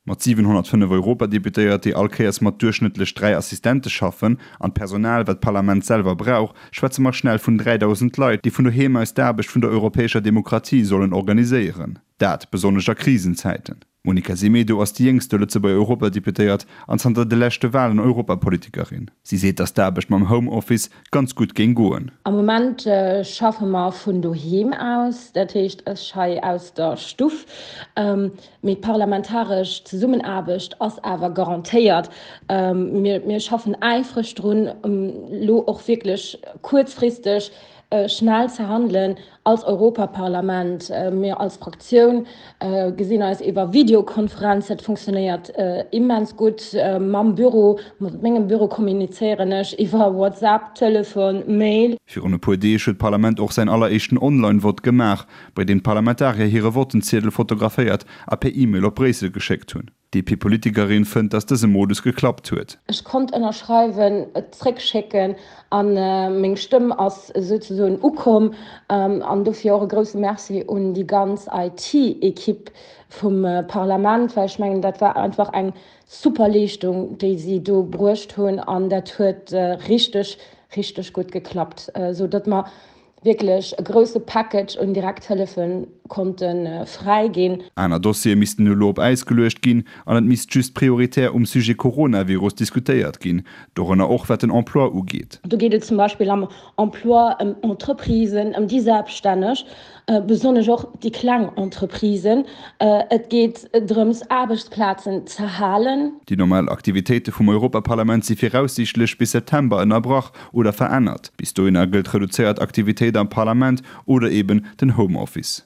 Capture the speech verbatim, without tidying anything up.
Mat siwenhonnertfënnef Europadeputéiert, déi all Kéiers mat duerchschnëttlech dräi Assistente schaffen, an d'Personal, wat d'Parlament selwer brauch, schwätze mer schnell vun dräidausend Leit, déi vun doheem aus d'Aarbecht vun der europäescher Demokratie sollen organiséieren. Dat besonnesch a Krisenzäiten. D'Monica Semedo ass déi jéngste Lëtzebuerger Europadeputéiert an zanter de leschte Walen Europapolitikerin. Si seet, datt d'Aarbecht mam Homeoffice ganz gutt géing goen. Am Moment schaffe mer vun doheem aus, dat heescht ech hei aus der Stuff. Mee d'parlamentaresch Zesummenaarbecht ass awer garantéiert. Mir schaffen äifreg drun, elo och wierklech kuerzfristeg schnell ze handelen als Europaparlament. Mir als Fraktioun gesinn eis iwwer Videokonferenz. Dat funktionéiert immens gutt. Mam Büro, mat mengem Büro kommunizéieren ech iwwer WhatsApp, Telefon, Mail. Virun e puer Deeg huet d'Parlament och säin alleréischten Online-Vott gemaach, bei deem d'Parlamentarier hire Vottenziedel fotograféiert a per E-Mail op Bréissel geschéckt hunn. D'DP-Politikerin fënnt, datt dëse Modus geklappt huet. Ech konnt ënnerschreiwen, et zréckschécken a meng Stëmm ass souzesoen ukomm. An dofir och e grousse Merci un déi ganz IT-Ekipp vum Parlament, well ech mengen, dat war einfach eng super Leeschtung, déi si do bruecht hunn an dat huet richteg, richteg gutt geklappt, esou datt mer wierklech e grousse Package un Direkthëllefe konnte fräi ginn. Aner Dossiere missten elo op Äis geluecht ginn an et misst just prioritär um Sujet Coronavirus diskutéiert ginn, dorënner och wat den Emploi ugeet. Do geet et zum Beispill am Emploi ëm Entreprisen, ëm déi Selbststänneg, besonnesch och déi kleng Entreprisen. Et geet drëms, Aarbechtsplazen ze halen. Déi normal Aktivitéite vum Europaparlament si viraussiichtlech bis September ënnerbrach oder verännert. Bis dohinner gëllt reduzéiert Aktivitéit am Parlament oder eben den Homeoffice.